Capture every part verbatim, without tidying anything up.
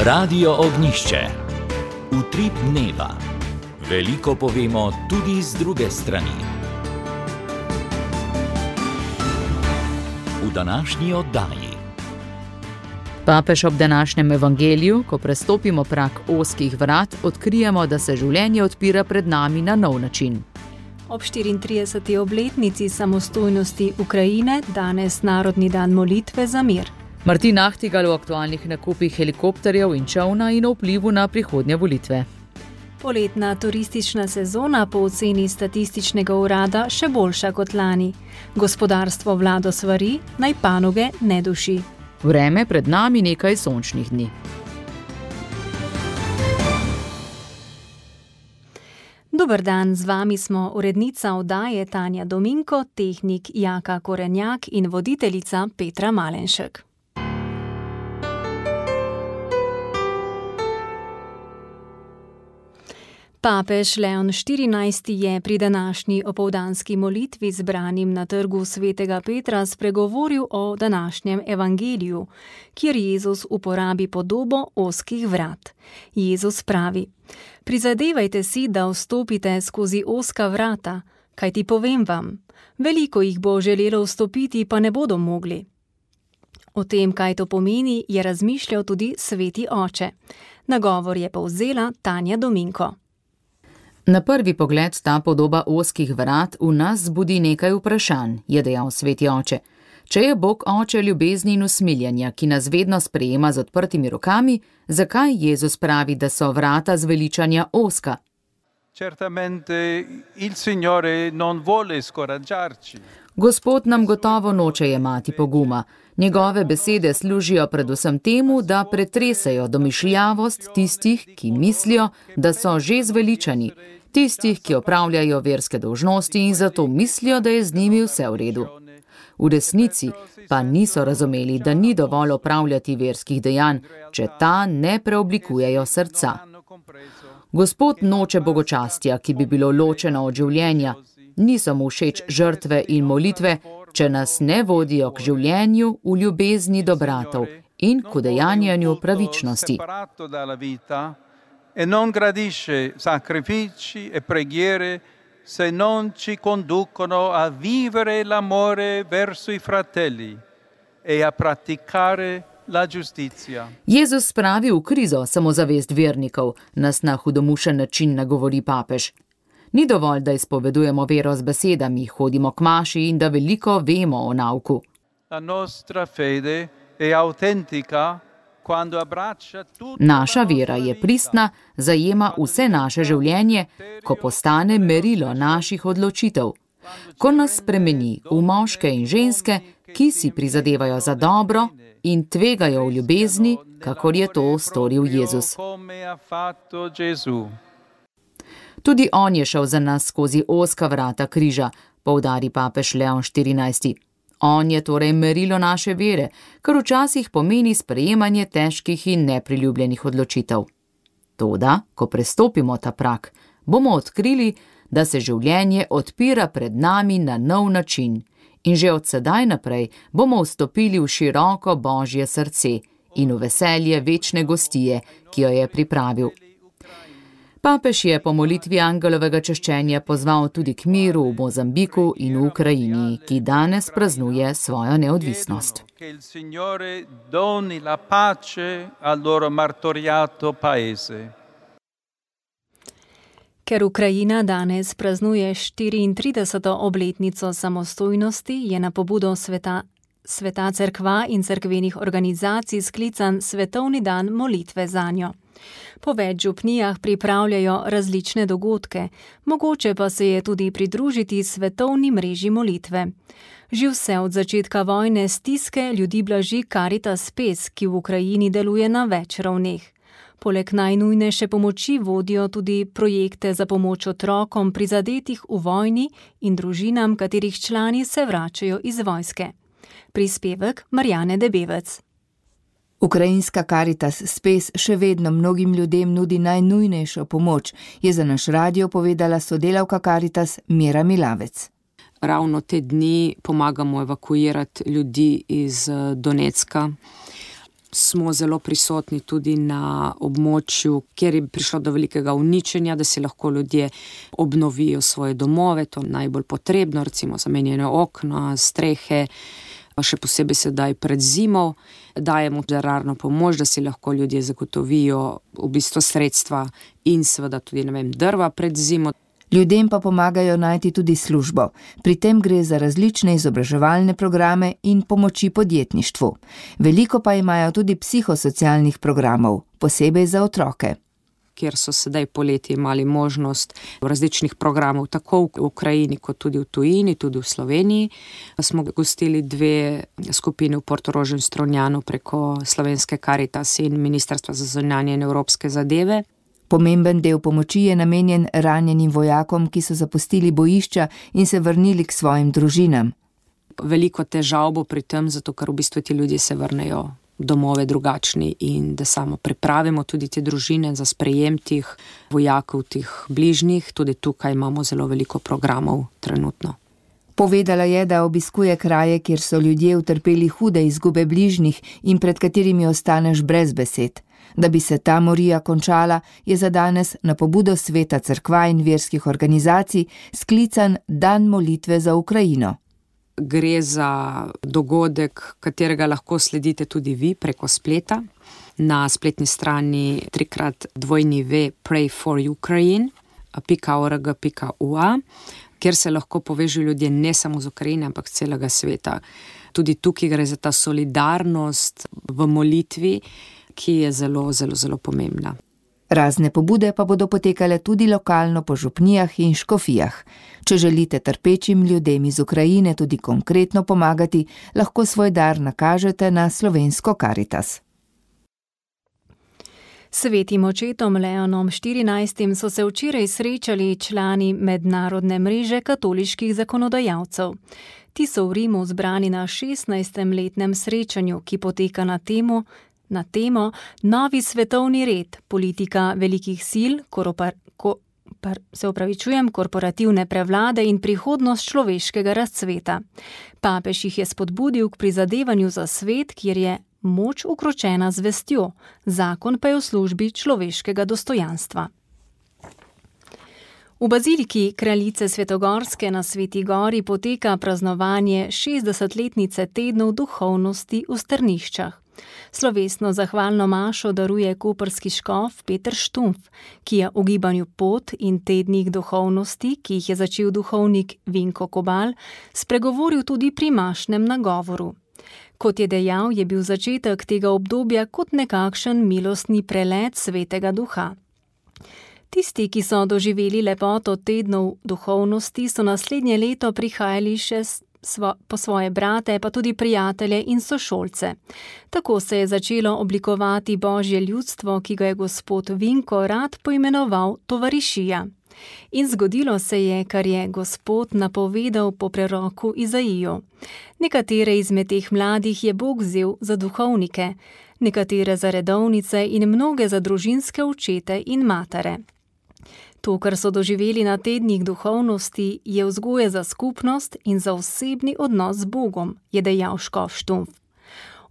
Radio Ognjišče. Utrip dneva. Veliko povemo tudi z druge strani. V današnji oddaji. Papež ob današnjem evangeliju, ko prestopimo prag ozkih vrat, odkrijemo, da se življenje odpira pred nami na nov način. Ob štiriintrideseti obletnici samostojnosti Ukrajine danes Narodni dan molitve za mir. Martin Ahtigal o aktualnih nakupih helikopterjev in čolna in o vplivu na prihodnje volitve. Poletna turistična sezona po oceni statističnega urada še boljša kot lani. Gospodarstvo vlado svari, naj panoge ne duši. Vreme pred nami nekaj sončnih dni. Dober dan, z vami smo urednica oddaje Tanja Dominko, tehnik Jaka Korenjak in voditeljica Petra Malenšek. Papež Leon štirinajsti je pri današnji opoldanski molitvi zbranim na trgu svetega Petra spregovoril o današnjem evangeliju, kjer Jezus uporabi podobo ozkih vrat. Jezus pravi: Prizadevajte si, da vstopite skozi ozka vrata, kajti povem vam, veliko jih bo želelo vstopiti, pa ne bodo mogli. O tem, kaj to pomeni, je razmišljal tudi sveti oče. Nagovor je povzela Tanja Dominko. Na prvi pogled ta podoba ozkih vrat v nas zbudi nekaj vprašanj, je dejal sveti oče. Če je Bog oče ljubezni in usmiljenja, ki nas vedno sprejema z odprtimi rokami, zakaj Jezus pravi, da so vrata zveličanja ozka? Certamente il Signore non vuole scoraggiarci. Gospod nam gotovo noče jemati poguma. Njegove besede služijo predvsem temu, da pretresejo domišljavost tistih, ki mislijo, da so že zveličani, tistih, ki opravljajo verske dolžnosti in zato mislijo, da je z njimi vse v redu. V resnici pa niso razumeli, da ni dovolj opravljati verskih dejanj, če ta ne preoblikujejo srca. Gospod noče bogočastja, ki bi bilo ločeno od življenja. Niso mu všeč žrtve in molitve, če nas ne vodijo k življenju v ljubezni do bratov in k udejanjanju pravičnosti. E non gradisce sacrifici e preghiere se non ci conducono a vivere l'amore verso i fratelli e a praticare la giustizia. Jezus spravi v krizo samozavest vernikov, nas na hudomušen način nagovori papež. Ni dovolj, da izpovedujemo vero z besedami, hodimo k maši in da veliko vemo o nauku. La nostra fede è autentica quando abbraccia tutto. Naša vera je pristna, zajema vse naše življenje, ko postane merilo naših odločitev. Ko nas spremeni v moške in ženske, ki si prizadevajo za dobro in tvegajo v ljubezni, kakor je to storil Jezus. Tudi on je šel za nas skozi ozka vrata križa, poudari papež Leon štirinajsti. On je torej merilo naše vere, kar včasih pomeni sprejemanje težkih in nepriljubljenih odločitev. Toda, ko prestopimo ta prag, bomo odkrili, da se življenje odpira pred nami na nov način in že od sedaj naprej bomo vstopili v široko Božje srce in v veselje večne gostije, ki jo je pripravil. Papež je po molitvi angelovega češčenja pozval tudi k miru v Mozambiku in v Ukrajini, ki danes praznuje svojo neodvisnost. Ker Ukrajina danes praznuje štiriintrideseto obletnico samostojnosti, je na pobudo sveta, sveta cerkva in cerkvenih organizacij sklican Svetovni dan molitve zanjo. Po več župnijah pripravljajo različne dogodke, mogoče pa se je tudi pridružiti svetovni mreži molitve. Že vse od začetka vojne stiske ljudi blaži Caritas Spes, ki v Ukrajini deluje na več ravneh. Poleg najnujnejše pomoči vodijo tudi projekte za pomoč otrokom prizadetih v vojni in družinam, katerih člani se vračajo iz vojske. Prispevek Marjane Debevec. Ukrajinska Caritas Spes še vedno mnogim ljudem nudi najnujnejšo pomoč, je za naš radio povedala sodelavka Caritas Mira Milavec. Ravno te dni pomagamo evakuirati ljudi iz Donecka. smo zelo prisotni tudi na območju, kjer je prišlo do velikega uničenja, da si lahko ljudje obnovijo svoje domove, to najbolj potrebno, recimo zamenjene okna, strehe, še posebej sedaj pred zimo, dajemo dararno pomoč, da si lahko ljudje zagotovijo v bistvu sredstva in seveda tudi, ne vem, drva pred zimo. Ljudem pa pomagajo najti tudi službo. Pri tem gre za različne izobraževalne programe in pomoči podjetništvu. Veliko pa imajo tudi psihosocialnih programov, posebej za otroke. Kjer so sedaj poleti imeli možnost različnih programov, tako v Ukrajini kot tudi v tujini, tudi v Sloveniji. Smo gostili dve skupine v Portorožu in Strunjanu preko Slovenske Karitas in Ministrstva za zunanje in evropske zadeve. Pomemben del pomoči je namenjen ranjenim vojakom, ki so zapustili bojišča in se vrnili k svojim družinam. Veliko težav bo pri tem, zato ker v bistvu ti ljudje se vrnejo domove drugačni in da samo pripravimo tudi te družine za sprejem tih vojakov, tih bližnjih. Tudi tukaj imamo zelo veliko programov trenutno. Povedala je, da obiskuje kraje, kjer so ljudje utrpeli hude izgube bližnjih in pred katerimi ostaneš brez besed. Da bi se ta morija končala, je za danes na pobudo Sveta cerkva in verskih organizacij sklican Dan molitve za Ukrajino. Gre za dogodek, katerega lahko sledite tudi vi preko spleta. Na spletni strani trikrat dvojni ve pray for ukraine pika org pika ua, kjer se lahko povežejo ljudje ne samo z Ukrajine, ampak celega sveta. Tudi tukaj gre za ta solidarnost v molitvi, ki je zelo, zelo, zelo pomembna. Razne pobude pa bodo potekale tudi lokalno po župnijah in škofijah. Če želite trpečim ljudem iz Ukrajine tudi konkretno pomagati, lahko svoj dar nakažete na Slovensko Karitas. Svetim očetom Leonom štirinajstim so se včeraj srečali člani mednarodne mreže katoliških zakonodajalcev. Ti so v Rimu zbrani na šestnajstem letnem srečanju, ki poteka na temo na temo Novi svetovni red, politika velikih sil, koropar, ko, par, se upravičujem, korporativne prevlade in prihodnost človeškega razcveta. Papež jih je spodbudil k prizadevanju za svet, kjer je moč ukročena z vestjo, zakon pa je v službi človeškega dostojanstva. V baziliki kraljice Svetogorske na Sveti Gori poteka praznovanje šestdesetletnice tednov duhovnosti v Strniščah. Slovesno zahvalno mašo daruje koprski škof Peter Štumpf, ki je v gibanju Pot in tednih duhovnosti, ki jih je začel duhovnik Vinko Kobal, spregovoril tudi pri mašnem nagovoru. Kot je dejal, je bil začetek tega obdobja kot nekakšen milostni prelet Svetega Duha. Tisti, ki so doživeli lepoto tednov duhovnosti, so naslednje leto prihajali še Svo, po svoje brate, pa tudi prijatelje in sošolce. Tako se je začelo oblikovati Božje ljudstvo, ki ga je gospod Vinko rad poimenoval tovarišija. In zgodilo se je, kar je gospod napovedal po preroku Izaiju. Nekatere izmed teh mladih je Bog vzel za duhovnike, nekatere za redovnice in mnoge za družinske očete in matere. To, kar so doživeli na tednih duhovnosti, je vzgoja za skupnost in za osebni odnos z Bogom, je dejal škof Štumpf.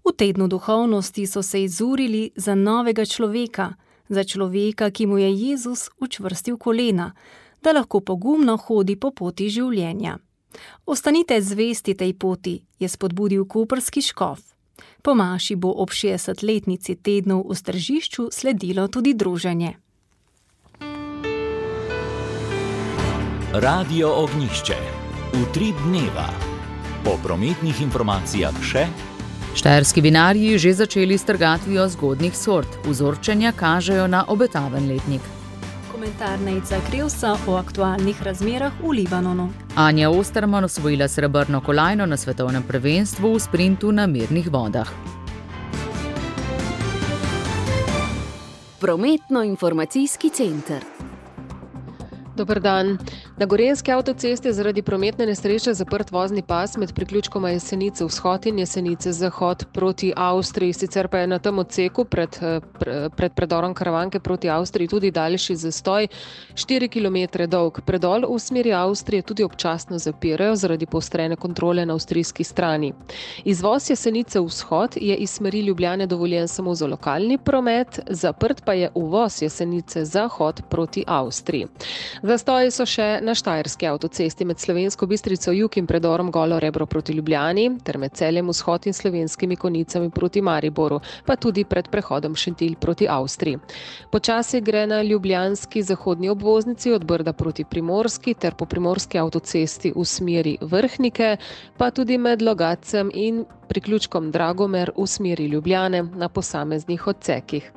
V tednu duhovnosti so se izurili za novega človeka, za človeka, ki mu je Jezus učvrstil kolena, da lahko pogumno hodi po poti življenja. Ostanite zvesti tej poti, je spodbudil koprski škof. Po maši bo ob šestdesetletnici tednov v Stržišču sledilo tudi druženje. Radio Ognjišče. Utrip dneva. Po prometnih informacijah še. Štajerski vinarji že začeli s trgatvijo zgodnjih sort. Vzorčenja kažejo na obetaven letnik. Komentar Nejca Krevsa o aktualnih razmerah v Libanonu. Anja Osterman osvojila srebrno kolajno na svetovnem prvenstvu v sprintu na mirnih vodah. Prometno-informacijski center. Dober dan. Na Gorenjski avtocesti je zaradi prometne nesreče zaprt vozni pas med priključkoma Jesenice vzhod in Jesenice zahod proti Avstriji. Sicer pa je na tem odseku pred, pred predorom Karavanke proti Avstriji tudi daljši zastoj, štiri kilometre dolg. Predol v smeri Avstrije tudi občasno zapirajo zaradi poostrene kontrole na avstrijski strani. Izvoz Jesenice vzhod je iz smeri Ljubljane dovoljen samo za lokalni promet, zaprt pa je uvoz Jesenice zahod proti Avstriji. Zastoji so še na Štajerski avtocesti med Slovensko Bistrico jug in predorom Golo Rebro proti Ljubljani, ter med Celjem vzhod in Slovenskimi Konjicami proti Mariboru, pa tudi pred prehodom Šentilj proti Avstriji. Počasi gre na ljubljanski zahodni obvoznici od Brda proti Primorski ter po Primorski avtocesti v smeri Vrhnike, pa tudi med Logacem in priključkom Dragomer v smeri Ljubljane na posameznih odsekih.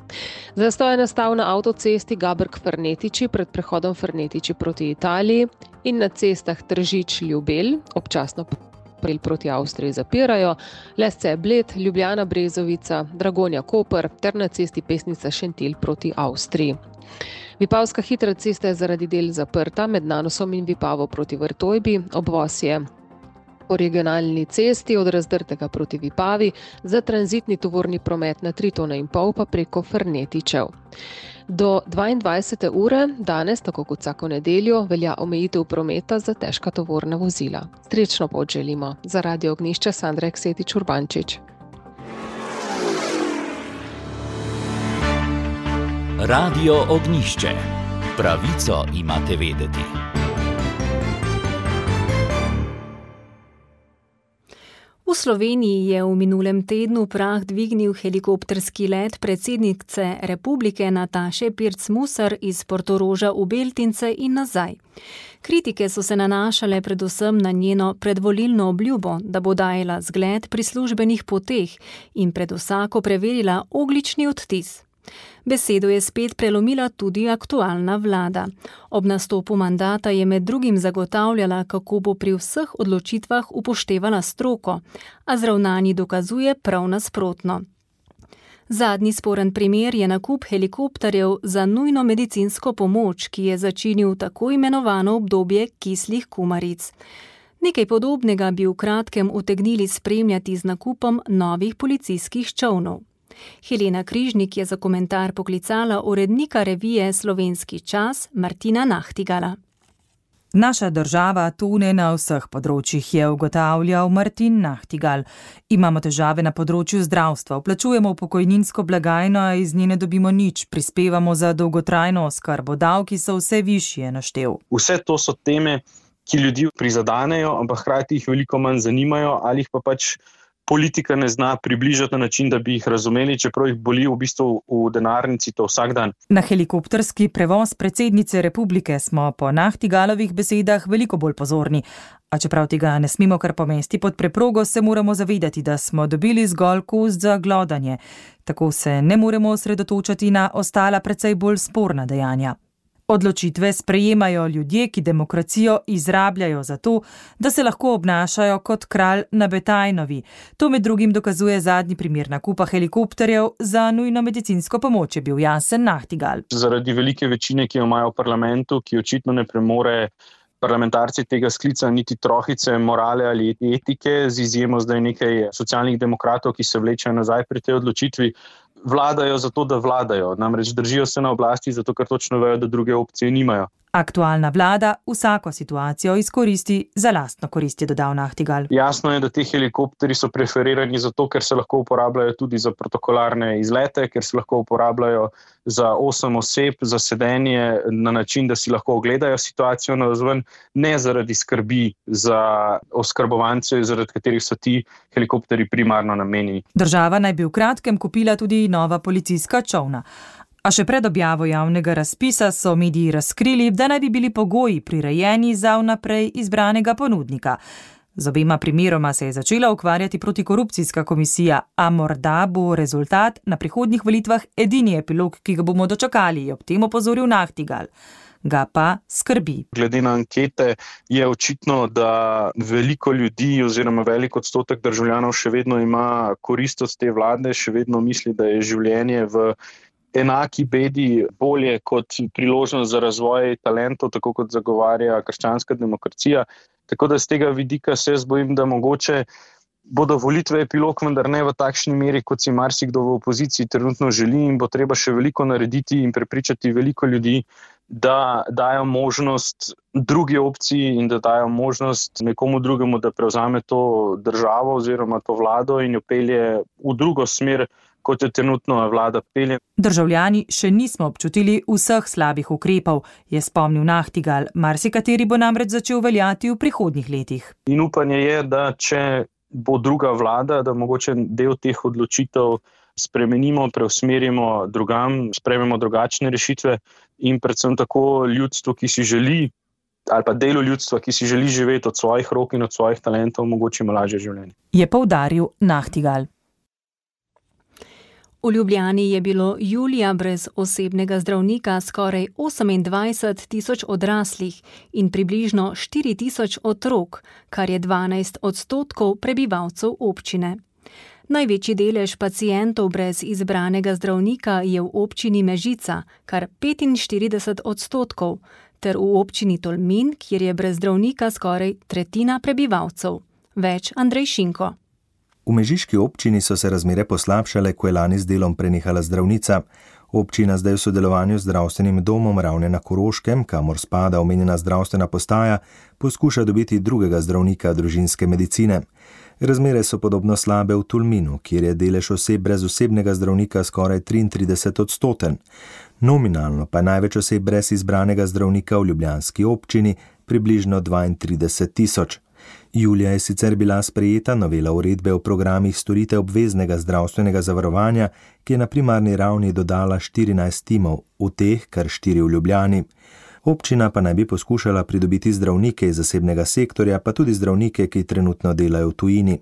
Zastoj je nastal na avtocesti Gabrk-Fernetiči pred prehodom Fernetiči proti Italiji in na cestah Tržič-Ljubelj, občasno proti Avstriji zapirajo, Lesce-Bled, Ljubljana-Brezovica, Dragonja-Koper ter na cesti Pesnica-Šentilj proti Avstriji. Vipavska hitra cesta je zaradi del zaprta med Nanosom in Vipavo proti Vrtojbi, obvoz je po regionalni cesti od Razdrtega proti Vipavi, za tranzitni tovorni promet na tri tone in pol pa preko Fernetičev. Do dvaindvajsete ure danes, tako kot vsako nedeljo, velja omejitev prometa za težka tovorna vozila. Srečno pot želimo. Za Radio Ognjišče Sandra Eksetič Urbančič. Radio Ognjišče. Pravico imate vedeti. V Sloveniji je v minulem tednu prah dvignil helikopterski let predsednice republike Nataše Pirc-Musar iz Portoroža v Beltince in nazaj. Kritike so se nanašale predvsem na njeno predvolilno obljubo, da bo dajala zgled pri službenih poteh in pred vsako preverila ogljični odtis. Besedo je spet prelomila tudi aktualna vlada. Ob nastopu mandata je med drugim zagotavljala, kako bo pri vseh odločitvah upoštevala stroko, a z ravnanji dokazuje prav nasprotno. Zadnji sporen primer je nakup helikopterjev za nujno medicinsko pomoč, ki je začinil tako imenovano obdobje kislih kumaric. Nekaj podobnega bi v kratkem utegnili spremljati z nakupom novih policijskih čolnov. Helena Križnik je za komentar poklicala urednika revije Slovenski čas Martina Nahtigala. Naša država tone na vseh področjih, je ugotavljal Martin Nahtigal. Imamo težave na področju zdravstva, vplačujemo v pokojninsko blagajno, a iz nje ne dobimo nič, prispevamo za dolgotrajno oskrbo, davki so vse višje, naštel. Vse to so teme, ki ljudi prizadanejo, ampak hkrati jih veliko manj zanimajo ali jih pa pač politika ne zna približati na način, da bi jih razumeli, čeprav jih boli v bistvu v denarnici to vsak dan. Na helikopterski prevoz predsednice republike smo po Nahtigalovih besedah veliko bolj pozorni. A čeprav tega ne smemo kar pomesti pod preprogo, se moramo zavedati, da smo dobili zgolj kos za glodanje. Tako se ne moremo osredotočati na ostala precej bolj sporna dejanja. Odločitve sprejemajo ljudje, ki demokracijo izrabljajo za to, da se lahko obnašajo kot kralj na Betajnovi. To med drugim dokazuje zadnji primer nakupa helikopterjev za nujno medicinsko pomoč, je bil jasen Nahtigal. Zaradi velike večine, ki jo imajo v parlamentu, ki očitno ne premore parlamentarci tega sklica niti trohice morale ali etike, z izjemo zdaj nekaj socialnih demokratov, ki se vlečejo nazaj pri tej odločitvi, vladajo zato, da vladajo. Namreč držijo se na oblasti zato, ker točno vejo, da druge opcije nimajo. Aktualna vlada vsako situacijo izkoristi za lastno korist, je dodal Nahtigal. Jasno je, da te helikopterji so preferirani zato, ker se lahko uporabljajo tudi za protokolarne izlete, ker se lahko uporabljajo za osem oseb, za sedenje na način, da si lahko ogledajo situacijo navzven, ne zaradi skrbi za oskrbovance, zaradi katerih so ti helikopterji primarno namenjeni. Država naj bi v kratkem kupila tudi nova policijska čolna. A še pred objavo javnega razpisa so mediji razkrili, da naj bi bili pogoji prirejeni za vnaprej izbranega ponudnika. Z obema primeroma se je začela ukvarjati protikorupcijska komisija, a morda bo rezultat na prihodnjih volitvah edini epilog, ki ga bomo dočakali, je ob tem opozoril Nahtigal. Ga pa skrbi. Glede na ankete je očitno, da veliko ljudi oziroma velik odstotek državljanov še vedno ima korist od te vlade, še vedno misli, da je življenje v enaki bedi bolje kot priložnost za razvoj talentov, tako kot zagovarja krščanska demokracija. Tako da z tega vidika se jaz bojim, da mogoče bodo volitve epilog, vendar ne v takšni meri, kot si marsikdo v opoziciji trenutno želi, in bo treba še veliko narediti in prepričati veliko ljudi, da dajo možnost drugi opciji in da dajo možnost nekomu drugemu, da prevzame to državo oziroma to vlado in jo pelje v drugo smer, kot jo trenutno vlada pelje. Državljani še nismo občutili vseh slabih ukrepov, je spomnil Nachtigal, marsikateri bo namreč začel veljati v prihodnjih letih. In upanje je, da če bo druga vlada, da mogoče del teh odločitev spremenimo, preusmerimo drugam, sprejmemo drugačne rešitve in predvsem tako ljudstvo, ki si želi, ali pa delu ljudstva, ki si želi živeti od svojih rok in od svojih talentov, omogočimo lažje življenje. Je poudaril Nachtigal. V Ljubljani je bilo julija brez osebnega zdravnika skoraj osemindvajset tisoč odraslih in približno štiri tisoč otrok, kar je dvanajst odstotkov prebivalcev občine. Največji delež pacientov brez izbranega zdravnika je v občini Mežica, kar petinštirideset odstotkov, ter v občini Tolmin, kjer je brez zdravnika skoraj tretjina prebivalcev. Več Andrej Šinko. V mežiški občini so se razmere poslabšale, ko je lani z delom prenehala zdravnica. Občina zdaj v sodelovanju z zdravstvenim domom Ravne na Koroškem, kamor spada omenjena zdravstvena postaja, poskuša dobiti drugega zdravnika družinske medicine. Razmere so podobno slabe v Tolminu, kjer je delež oseb brez osebnega zdravnika skoraj triintrideset odstoten. Nominalno pa je največ oseb brez izbranega zdravnika v ljubljanski občini, približno dvaintrideset tisoč. Julija je sicer bila sprejeta novela uredbe o programih storitev obveznega zdravstvenega zavarovanja, ki je na primarni ravni dodala štirinajst timov, v teh kar štiri v Ljubljani. Občina pa naj bi poskušala pridobiti zdravnike iz zasebnega sektorja, pa tudi zdravnike, ki trenutno delajo v tujini.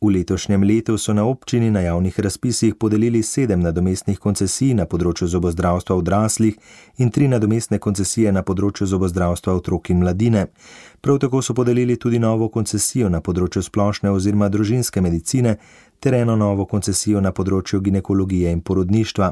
V letošnjem letu so na občini na javnih razpisih podelili sedem nadomestnih koncesij na področju zobozdravstva odraslih in tri nadomestne koncesije na področju zobozdravstva otrok in mladine. Prav tako so podelili tudi novo koncesijo na področju splošne oziroma družinske medicine ter eno novo koncesijo na področju ginekologije in porodništva.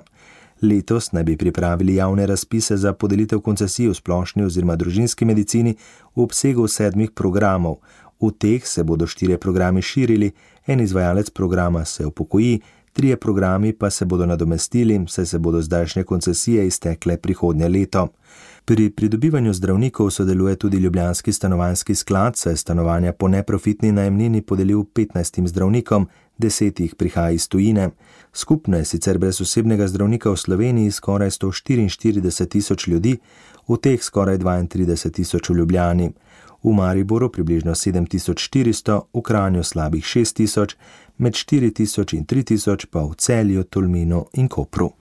Letos naj bi pripravili javne razpise za podelitev koncesij v splošni oziroma družinski medicini v obsegu sedmih programov. V teh se bodo štirje programi širili, en izvajalec programa se upokoji, trije programi pa se bodo nadomestili, saj se bodo zdajšnje koncesije iztekle prihodnje leto. Pri pridobivanju zdravnikov sodeluje tudi Ljubljanski stanovanjski sklad, saj stanovanja po neprofitni najemnini podelil petnajstim zdravnikom, deset jih prihaja iz tujine. Skupno je sicer brez osebnega zdravnika v Sloveniji skoraj sto štiriinštirideset tisoč ljudi, v teh skoraj dvaintrideset tisoč v Ljubljani. V Mariboru približno sedem tisoč štiristo, v Kranju slabih šest tisoč, med štiri tisoč in tri tisoč pa v Celju, Tolminu in Kopru.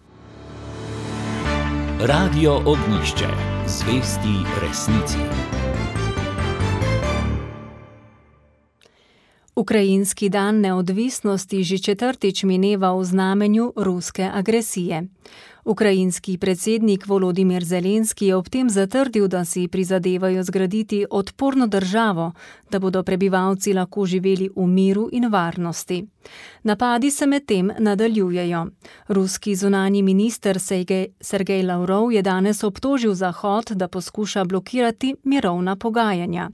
Radio Ognjišče. Zvesti resnici. Ukrajinski dan neodvisnosti že četrtič mineva v znamenju ruske agresije. Ukrajinski predsednik Volodimir Zelenski je ob tem zatrdil, da si prizadevajo zgraditi odporno državo, da bodo prebivalci lahko živeli v miru in varnosti. Napadi se medtem nadaljujejo. Ruski zunanji minister Sergej Lavrov je danes obtožil Zahod, da poskuša blokirati mirovna pogajanja.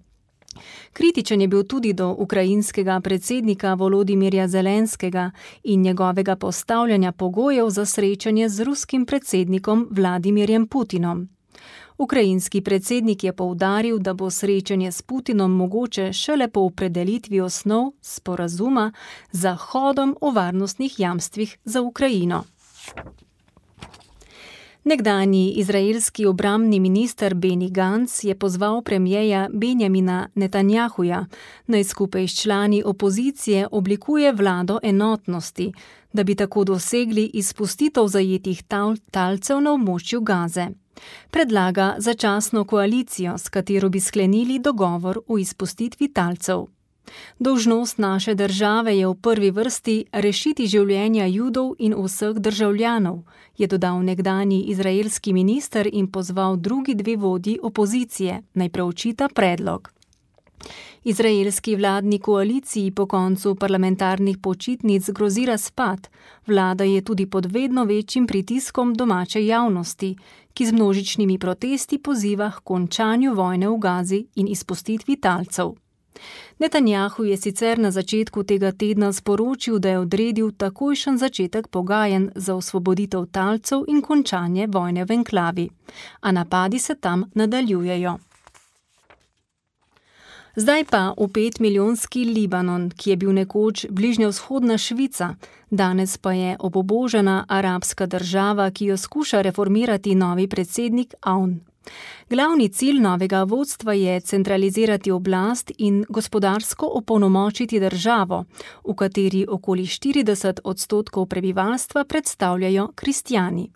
Kritičen je bil tudi do ukrajinskega predsednika Volodimirja Zelenskega in njegovega postavljanja pogojev za srečanje z ruskim predsednikom Vladimirjem Putinom. Ukrajinski predsednik je poudaril, da bo srečanje s Putinom mogoče šele po opredelitvi osnov sporazuma z Zahodom o varnostnih jamstvih za Ukrajino. Nekdanji izraelski obrambni minister Benny Gantz je pozval premierja Benjamina Netanjahuja, naj skupaj s člani opozicije oblikuje vlado enotnosti, da bi tako dosegli izpustitev zajetih tal- talcev na območju Gaze. Predlaga začasno koalicijo, s katero bi sklenili dogovor o izpustitvi talcev. Dolžnost naše države je v prvi vrsti rešiti življenja Judov in vseh državljanov, je dodal nekdanji izraelski minister in pozval drugi dve vodji opozicije, naj preučita predlog. Izraelski vladni koaliciji po koncu parlamentarnih počitnic grozi razpad. Vlada je tudi pod vedno večjim pritiskom domače javnosti, ki z množičnimi protesti poziva k končanju vojne v Gazi in izpustitvi talcev. Netanjahu je sicer na začetku tega tedna sporočil, da je odredil takojšen začetek pogajanj za osvoboditev talcev in končanje vojne v enklavi, a napadi se tam nadaljujejo. Zdaj pa v petmilijonski Libanon, ki je bil nekoč bližnjevzhodna Švica, danes pa je obubožana arabska država, ki jo skuša reformirati novi predsednik Aoun. Glavni cilj novega vodstva je centralizirati oblast in gospodarsko opolnomočiti državo, v kateri okoli štirideset odstotkov prebivalstva predstavljajo kristjani.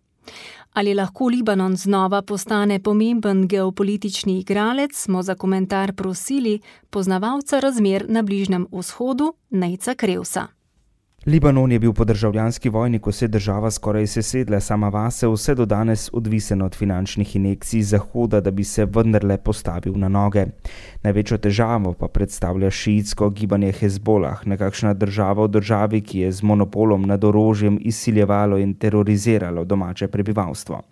Ali lahko Libanon znova postane pomemben geopolitični igralec, smo za komentar prosili poznavalca razmer na Bližnjem vzhodu Nejca Krevsa. Libanon je bil po državljanski vojni, ko se je država skoraj sesedla sama vase, vse do danes odvisen od finančnih injekcij Zahoda, da bi se vendarle postavil na noge. Največjo težavo pa predstavlja šiitsko gibanje Hezbolah, nekakšna država v državi, ki je z monopolom nad orožjem izsiljevalo in teroriziralo domače prebivalstvo.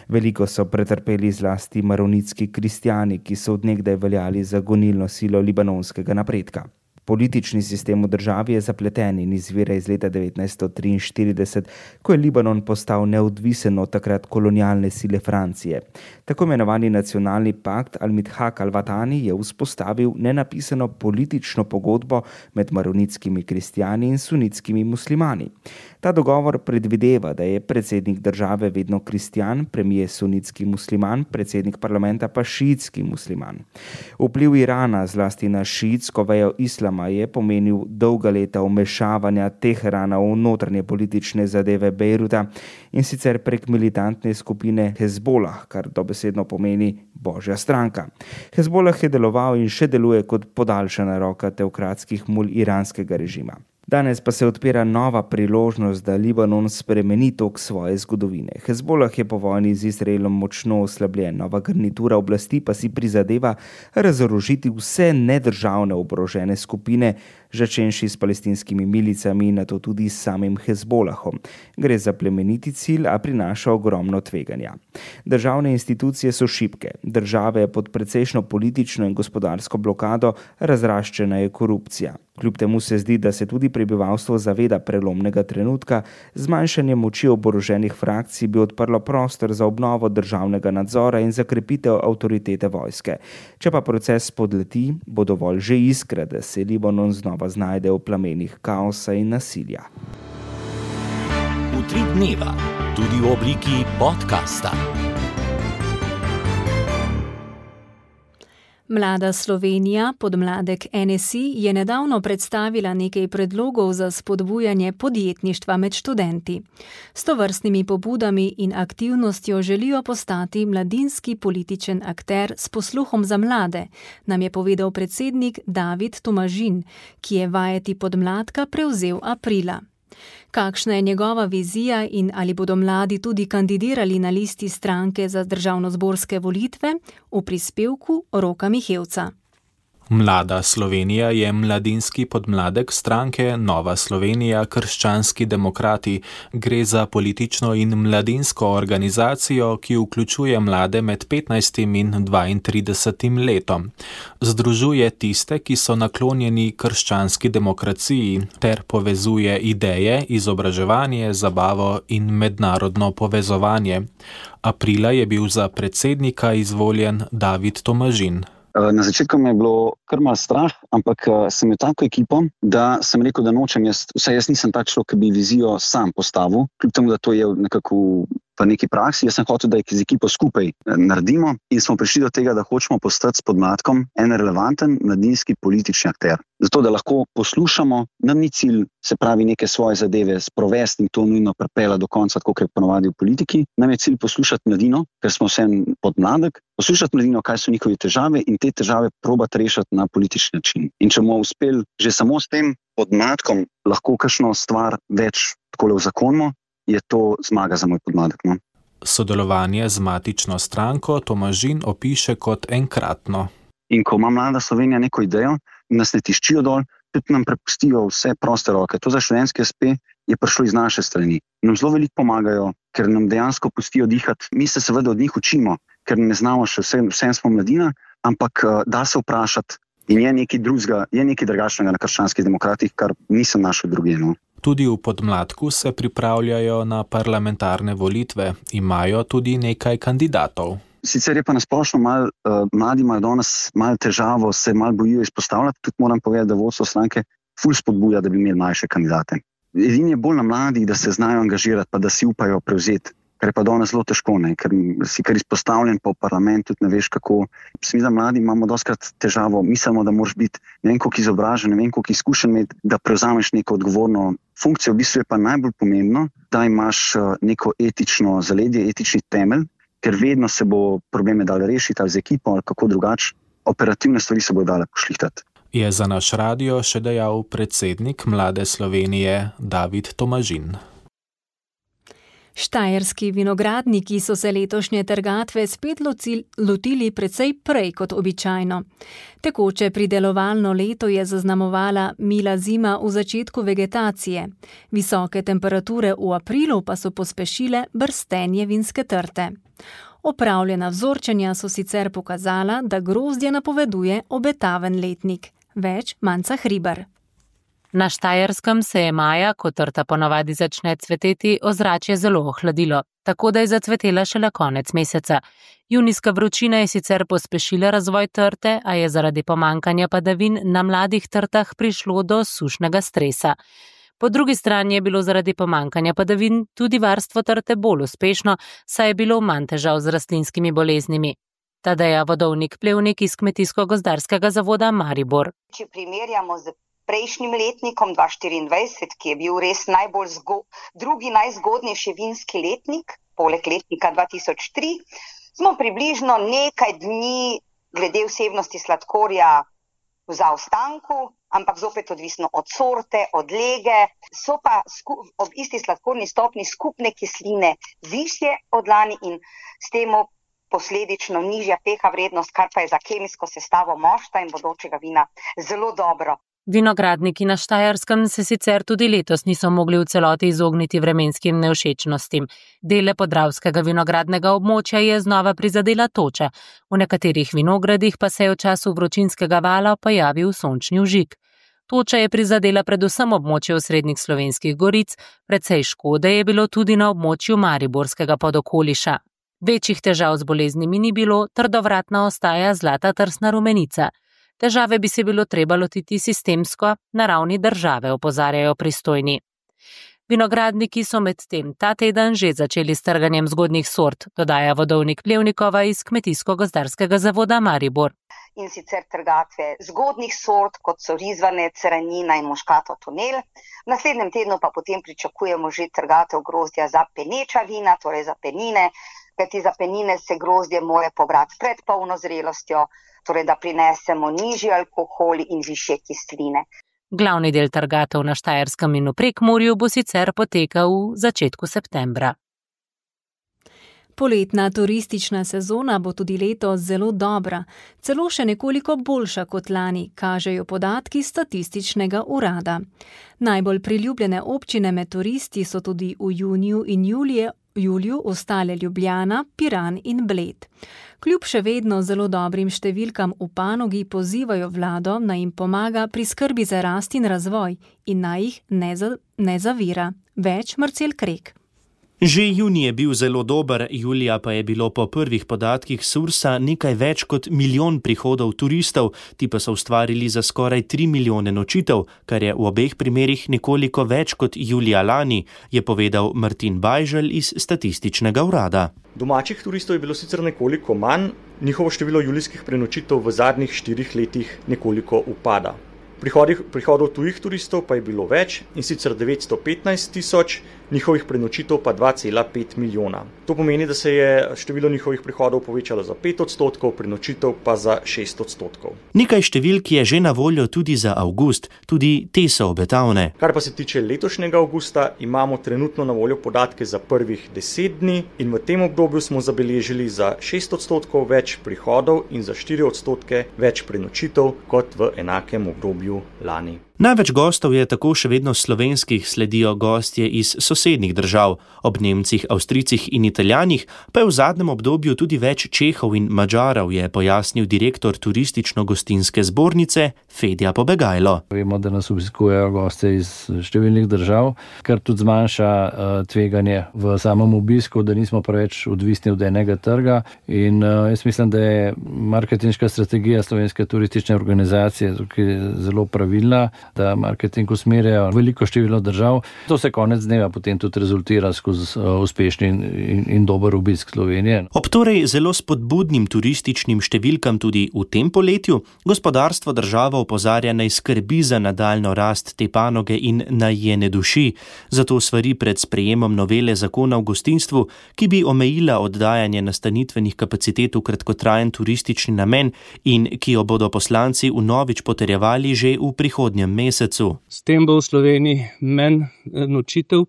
Veliko so pretrpeli zlasti maronitski kristjani, ki so od nekdaj veljali za gonilno silo libanonskega napredka. Politični sistem v državi je zapleten in izvira iz leta devetnajststo triinštirideset, ko je Libanon postal neodvisen od takrat kolonialne sile Francije. Tako imenovani nacionalni pakt Al-Midhaq Al-Watani je vzpostavil nenapisano politično pogodbo med maronitskimi kristjani in sunitskimi muslimani. Ta dogovor predvideva, da je predsednik države vedno kristjan, premier sunitski musliman, predsednik parlamenta pa šiitski musliman. Vpliv Irana zlasti na šiitsko vejo islama je pomenil dolga leta vmešavanja Teherana v notranje politične zadeve Bejruta in sicer prek militantne skupine Hezbolah, kar dobesedno pomeni Božja stranka. Hezbolah je deloval in še deluje kot podaljšana roka teokratskih mul iranskega režima. Danes pa se odpira nova priložnost, da Libanon spremeni tok svoje zgodovine. Hezbolah je po vojni z Izraelom močno oslabljen, nova garnitura oblasti pa si prizadeva razorožiti vse nedržavne oborožene skupine, začenši s palestinskimi milicami in nato tudi s samim Hezbolahom. Gre za plemeniti cilj, a prinaša ogromno tveganja. Državne institucije so šibke, države pod precejšno politično in gospodarsko blokado, razraščena je korupcija. Kljub temu se zdi, da se tudi prebivalstvo zaveda prelomnega trenutka, zmanjšanje moči oboroženih frakcij bi odprlo prostor za obnovo državnega nadzora in za krepitev avtoritete vojske. Če pa proces spodleti, bo dovolj že iskra, da se Libanon znova znajde v plamenih kaosa in nasilja. Utrip dneva, tudi v obliki podcasta. Mlada Slovenija, podmladek N S I, je nedavno predstavila nekaj predlogov za spodbujanje podjetništva med študenti. S tovrstnimi pobudami in aktivnostjo želijo postati mladinski političen akter s posluhom za mlade, nam je povedal predsednik David Tomažin, ki je vajeti podmladka prevzel aprila. Kakšna je njegova vizija in ali bodo mladi tudi kandidirali na listi stranke za državnozborske volitve, v prispevku Roka Mihevca. Mlada Slovenija je mladinski podmladek stranke Nova Slovenija – Krščanski demokrati. Gre za politično in mladinsko organizacijo, ki vključuje mlade med petnajstim in dvaintridesetim letom. Združuje tiste, ki so naklonjeni krščanski demokraciji, ter povezuje ideje, izobraževanje, zabavo in mednarodno povezovanje. Aprila je bil za predsednika izvoljen David Tomažin. Na začetku mi je bilo kar malo strah, ampak sem imel tako ekipo, da sem rekel, da nočem jaz, vsaj jaz nisem tak človek, ki bi vizijo sam postavil, kljub temu, da to je nekako v neki praksi. Jaz sem hotel, da z ekipo skupaj naredimo in smo prišli do tega, da hočemo postati s podmladkom en relevanten mladinski politični akter. Zato, da lahko poslušamo, nam ni cilj, se pravi, neke svoje zadeve sprovesti in to nujno pripela do konca, tako kot je ponovadi v politiki. Nam je cilj poslušati mladino, ker smo vsem podmladek, poslušati mladino, kaj so njihove težave in te težave probati rešiti na politični način. In če bomo uspeli že samo s tem podmladkom lahko kakšno stvar več takole uzakonimo, je to zmaga za moj podmladek. No? Sodelovanje z matično stranko Tomažin opiše kot enkratno. In ko ima Mlada Slovenija neko idejo, nas ne tiščijo dol, tudi nam prepustijo vse proste roke. To za študentski es pe je prišlo iz naše strani. Nam zelo veliko pomagajo, ker nam dejansko pustijo dihati. Mi se seveda od njih učimo, ker ne znamo še vse, vsem smo mladina, ampak da se vprašati in je nekaj drugega, je nekaj drugačnega na krščanskih demokratih, kar nisem našel drugje. No. Tudi v Podmladku se pripravljajo na parlamentarne volitve, imajo tudi nekaj kandidatov. Sicer je pa nasplošno mal, uh, mladi imajo danes malo težavo, se malo bojijo izpostavljati, tudi moram povedati, da vodstvo stranke ful spodbuja, da bi imeli mlajše kandidate. Edini je bolj na mladih, da se znajo angažirati, pa da si upajo prevzeti, kar je pa danes zelo težko, ne? Ker si kar izpostavljen po parlamentu, tudi ne veš kako. Mislim, da mladi imamo dostkrat težavo, mislimo, da moraš biti ne vem koliko izobražen, ne vem koliko izkušen imeti, da prevzameš neko odgovorno funkcijo. V bistvu je pa najbolj pomembno, da imaš neko etično zaledje, etični temelj, ker vedno se bo probleme dale rešiti ali z ekipo ali kako drugače, operativne stvari se bo dale pošlihtati. Je za naš radio še dejal predsednik Mlade Slovenije David Tomažin. Štajerski vinogradniki so se letošnje trgatve spet lotili precej prej kot običajno. Tekoče pridelovalno leto je zaznamovala mila zima v začetku vegetacije. Visoke temperature v aprilu pa so pospešile brstenje vinske trte. Opravljena vzorčenja so sicer pokazala, da grozdje napoveduje obetaven letnik. Več Manca Hribar. Na Štajerskem se je maja, ko trta ponavadi začne cveteti, ozračje zelo ohladilo, tako da je zacvetela šele konec meseca. Junijska vročina je sicer pospešila razvoj trte, a je zaradi pomankanja padavin na mladih trtah prišlo do sušnega stresa. Po drugi strani je bilo zaradi pomankanja padavin tudi varstvo trte bolj uspešno, saj je bilo manj težav z rastlinskimi boleznimi. Tadeja Vodovnik-Plevnik iz Kmetijsko-gozdarskega zavoda Maribor. Če primerjamo z prejšnjim letnikom dva tisoč štiriindvajset, ki je bil res najbolj zgo, drugi najzgodnejši vinski letnik, poleg letnika dva tisoč tri, smo približno nekaj dni glede vsebnosti sladkorja v zaostanku, ampak zopet odvisno od sorte, od lege, so pa sku, ob isti sladkorni stopni skupne kisline višje od lani in s temu posledično nižja pH vrednost, kar pa je za kemijsko sestavo mošta in bodočega vina zelo dobro. Vinogradniki na Štajerskem se sicer tudi letos niso mogli v celoti izogniti vremenskim nevšečnostim. Dele podravskega vinogradnega območja je znova prizadela toča. V nekaterih vinogradih pa se je v času vročinskega vala pojavil sončni vžig. Toča je prizadela predvsem območje osrednjih slovenskih goric, precej škode je bilo tudi na območju Mariborskega podokoliša. Večjih težav z boleznimi ni bilo, trdovratna ostaja zlata trsna rumenica. Težave bi se bilo treba lotiti sistemsko na ravni države, opozarjajo pristojni. Vinogradniki so medtem ta teden že začeli s trganjem zgodnjih sort, dodaja Vodovnik-Plevnikova iz Kmetijsko-gozdarskega zavoda Maribor. In sicer trgatve zgodnjih sort, kot so rizvanec, ranjina in muškato tunel. V naslednjem tednu pa potem pričakujemo že trgatev grozdja za peneča vina, torej za penine, kajti za penine se grozdje mora pobrati pred polno zrelostjo, torej da prinesemo nižji alkohol in višje kisline. Glavni del trgatev na Štajerskem in v Prekmurju bo sicer potekal v začetku septembra. Poletna turistična sezona bo tudi letos zelo dobra, celo še nekoliko boljša kot lani, kažejo podatki statističnega urada. Najbolj priljubljene občine med turisti so tudi v juniju in julije juliju ostale Ljubljana, Piran in Bled. Kljub še vedno zelo dobrim številkam v panogi pozivajo vlado, naj jim pomaga pri skrbi za rast in razvoj in naj jih ne, za, ne zavira. Več Marcel Krek. Že junij je bil zelo dober, julija pa je bilo po prvih podatkih Sursa nekaj več kot milijon prihodov turistov, ti pa so ustvarili za skoraj tri milijone nočitev, kar je v obeh primerih nekoliko več kot julija lani, je povedal Martin Bajželj iz statističnega urada. Domačih turistov je bilo sicer nekoliko manj, njihovo število julijskih prenočitev v zadnjih štirih letih nekoliko upada. Prihodih, prihodov tujih turistov pa je bilo več, in sicer devetsto petnajst tisoč, njihovih prenočitev pa dva cela pet milijona. To pomeni, da se je število njihovih prihodov povečalo za pet odstotkov, prenočitev pa za šest odstotkov. Nekaj številk je že na voljo tudi za avgust, tudi te so obetavne. Kar pa se tiče letošnjega avgusta, imamo trenutno na voljo podatke za prvih deset dni in v tem obdobju smo zabeležili za šest odstotkov več prihodov in za štiri odstotke več prenočitev kot v enakem obdobju lani. Največ gostov je tako še vedno slovenskih, sledijo gostje iz sosednjih držav. Ob Nemcih, Avstrijcih in Italijanih pa je v zadnjem obdobju tudi več Čehov in Madžarov, je pojasnil direktor turistično-gostinske zbornice Fedja Pobegajlo. Vemo, da nas obiskujejo goste iz številnih držav, kar tudi zmanjša uh, tveganje v samem obisku, da nismo preveč odvisni od enega trga. In uh, jaz mislim, da je marketinška strategija Slovenske turistične organizacije tukaj zelo pravilna, da marketing usmerjajo veliko število držav. To se konec dneva potem tudi rezultira skozi uh, uspešni in, in, in dober obisk Slovenije. Ob torej zelo spodbudnim turističnim številkam tudi v tem poletju, gospodarstvo državo opozarja naj skrbi za nadaljno rast te panoge in naj je ne duši. Zato svari pred sprejemom novele zakona o gostinstvu, ki bi omejila oddajanje nastanitvenih kapacitet v kratkotrajen turistični namen in ki jo bodo poslanci vnovič potrjevali že v prihodnjem mesecu. S tem bo v Sloveniji manj nočitev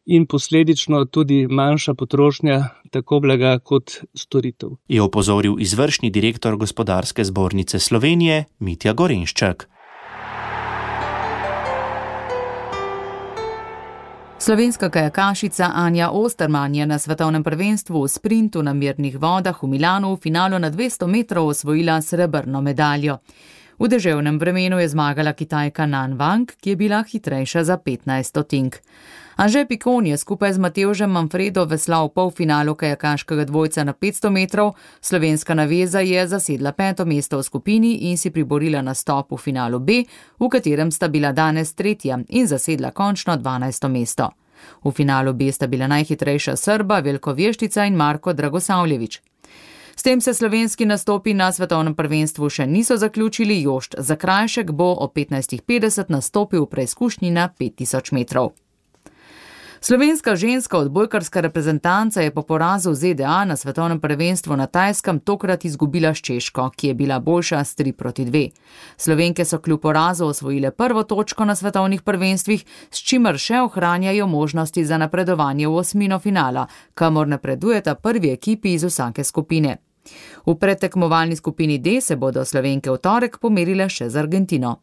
in posledično tudi manjša potrošnja tako blaga kot storitev. Je opozoril izvršni direktor Gospodarske zbornice Slovenije Mitja Gorenščak. Slovenska kajakašica Anja Osterman je na svetovnem prvenstvu v sprintu na mirnih vodah v Milanu v finalu na dvesto metrov osvojila srebrno medaljo. V deževnem vremenu je zmagala Kitajka Nan Wang, ki je bila hitrejša za petnajst stotink. Anže Pikon je skupaj z Matevžem Manfredo veslal v polfinalu kajakaškega dvojca na petsto metrov, slovenska naveza je zasedla peto mesto v skupini in si priborila nastop v finalu B, v katerem sta bila danes tretja in zasedla končno dvanajsto mesto. V finalu B sta bila najhitrejša Srba Veljko Vještica in Marko Dragosavljević. S tem se slovenski nastopi na svetovnem prvenstvu še niso zaključili, Jošt Zakrajšek bo ob petnajst petdeset nastopil v preizkušnji na pet tisoč metrov. Slovenska ženska odbojkarska reprezentanca je po porazu v Z D A na svetovnem prvenstvu na Tajskem tokrat izgubila s Češko, ki je bila boljša s tri proti dve. Slovenke so kljub porazu osvojile prvo točko na svetovnih prvenstvih, s čimer še ohranjajo možnosti za napredovanje v osmino finala, kamor napredujeta prvi ekipi iz vsake skupine. V predtekmovalni skupini D se bodo Slovenke v torek pomerile še z Argentino.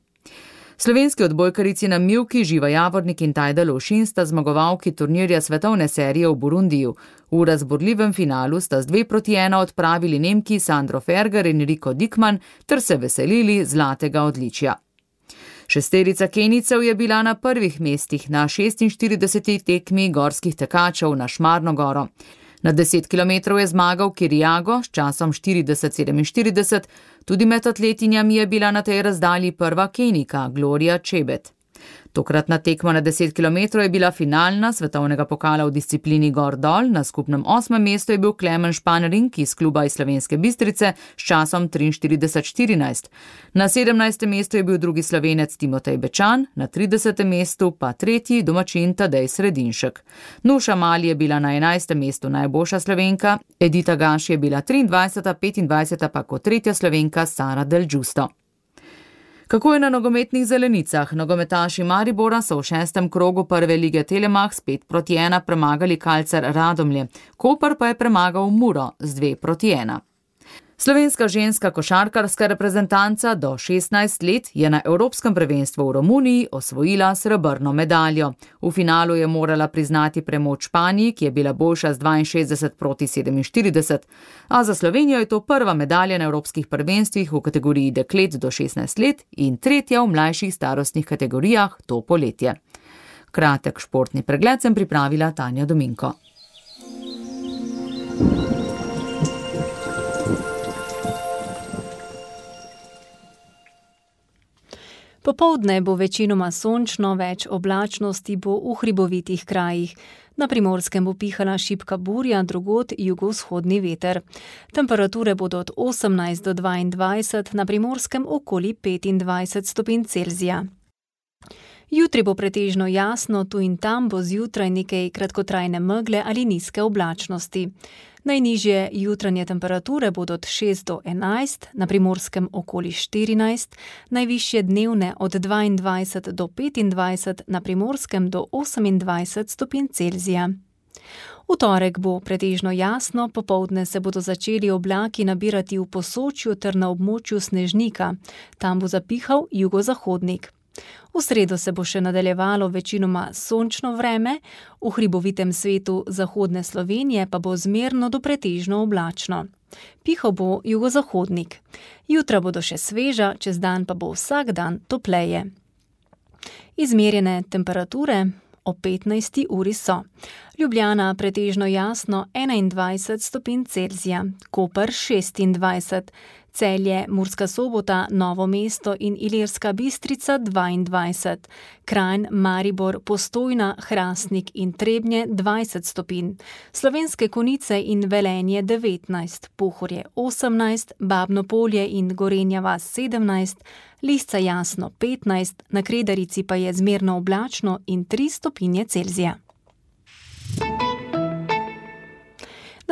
Slovenski odbojkarici na mivki Živa Javornik in Tajda Lovšin sta zmagovalki turnirja svetovne serije v Burundiju. V razborljivem finalu sta z dve proti ena odpravili Nemki Sandro Ferger in Riko Dikman ter se veselili zlatega odličja. Šesterica Kenijcev je bila na prvih mestih na šestinštirideseti tekmi gorskih tekačev na Šmarno goro. Na deset kilometrov je zmagal Kiriago s časom štirideset sedeminštirideset, tudi med atletinjami je bila na tej razdalji prva Kenijka Gloria Čebet. Tokratna tekma na deset kilometrov je bila finalna svetovnega pokala v disciplini gor-dol, na skupnem osmem mestu je bil Klemen Španring iz kluba iz Slovenske Bistrice s časom triinštirideset štirinajst. Na sedemnajstem mestu je bil drugi Slovenec Timotej Bečan, na tridesetem mestu pa tretji domačin Tadej Sredinšek. Nuša Mali je bila na enajstem mestu najboljša Slovenka, Edita Gaš je bila triindvajseta, petindvajseta pa kot tretja Slovenka Sara Del Giusto. Kako je na nogometnih zelenicah? Nogometaši Maribora so v šestem krogu prve lige Telemach s pet proti ena premagali Kalcar Radomlje, Koper pa je premagal Muro z dve proti ena. Slovenska ženska košarkarska reprezentanca do šestnajst let je na Evropskem prvenstvu v Romuniji osvojila srebrno medaljo. V finalu je morala priznati premoč Španiji, ki je bila boljša z dvainšestdeset proti sedeminštirideset, a za Slovenijo je to prva medalja na Evropskih prvenstvih v kategoriji deklet do šestnajst let in tretja v mlajših starostnih kategorijah to poletje. Kratek športni pregled sem pripravila Tanja Dominko. Popoldne bo večinoma sončno, več oblačnosti bo v hribovitih krajih. Na Primorskem bo pihala šibka burja, drugod jugovzhodni veter. Temperature bodo od osemnajst do dvaindvajset, na Primorskem okoli petindvajset stopinj Celzija. Jutri bo pretežno jasno, tu in tam bo zjutraj nekaj kratkotrajne megle ali nizke oblačnosti. Najnižje jutranje temperature bodo od šest do enajst, na Primorskem okoli štirinajst, najvišje dnevne od dvaindvajset do petindvajset, na Primorskem do osemindvajset stopinj Celzija. V torek bo pretežno jasno, popoldne se bodo začeli oblaki nabirati v Posočju ter na območju Snežnika. Tam bo zapihal jugozahodnik. V sredo se bo še nadaljevalo večinoma sončno vreme, v hribovitem svetu zahodne Slovenije pa bo zmerno do pretežno oblačno. Pihal bo jugozahodnik. Jutra bodo še sveža, čez dan pa bo vsak dan topleje. Izmerjene temperature ob petnajsti uri so: Ljubljana pretežno jasno enaindvajset stopinj Celzija, Koper šestindvajset, Celje, Murska Sobota, Novo mesto in Ilirska Bistrica dvaindvajset, Kranj, Maribor, Postojna, Hrastnik in Trebnje dvajset stopinj, Slovenske Konjice in Velenje devetnajst, Pohorje osemnajst, Babno Polje in Gorenja vas sedemnajst, Lisca jasno petnajst, na Kredarici pa je zmerno oblačno in tri stopinje Celzija.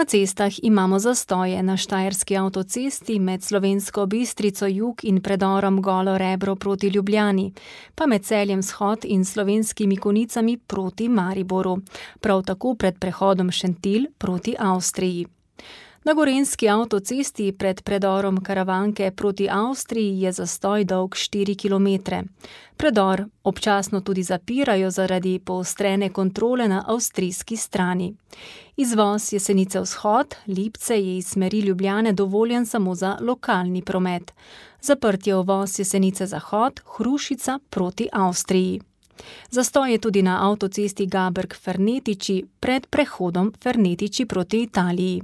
Na cestah imamo zastoje na Štajerski avtocesti med Slovensko Bistrico jug in predorom Golo Rebro proti Ljubljani, pa med Celjem vzhod in Slovenskimi Konjicami proti Mariboru, prav tako pred prehodom Šentilj proti Avstriji. Na Gorenjski avtocesti pred predorom Karavanke proti Avstriji je zastoj dolg štiri kilometre. Predor občasno tudi zapirajo zaradi poostrene kontrole na avstrijski strani. Izvoz Jesenice vzhod, Lipce je iz smeri Ljubljane dovoljen samo za lokalni promet. Zaprt je uvoz Jesenice zahod, Hrušica proti Avstriji. Zastoj je tudi na avtocesti Gaberg-Fernetiči pred prehodom Fernetiči proti Italiji.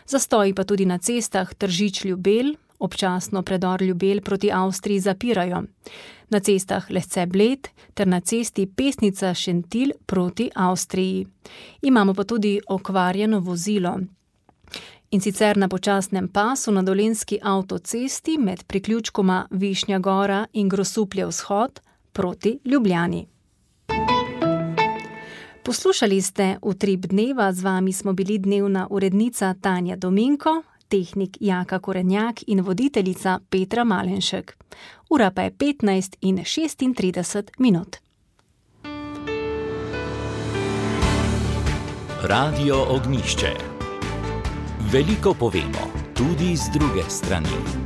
Zastoj pa tudi na cestah Tržič-Ljubelj, občasno predor Ljubelj proti Avstriji zapirajo. Na cestah Lesce-Bled ter na cesti Pesnica-Šentilj proti Avstriji. Imamo pa tudi okvarjeno vozilo. In sicer na počasnem pasu na Dolenjski avtocesti med priključkoma Višnja Gora in Grosuplje vzhod proti Ljubljani. Poslušali ste Utrip dneva, z vami smo bili dnevna urednica Tanja Dominko, tehnik Jaka Korenjak in voditeljica Petra Malenšek. Ura pa je petnajst in šestintrideset minut. Radio Ognjišče. Veliko povemo, tudi z druge strani.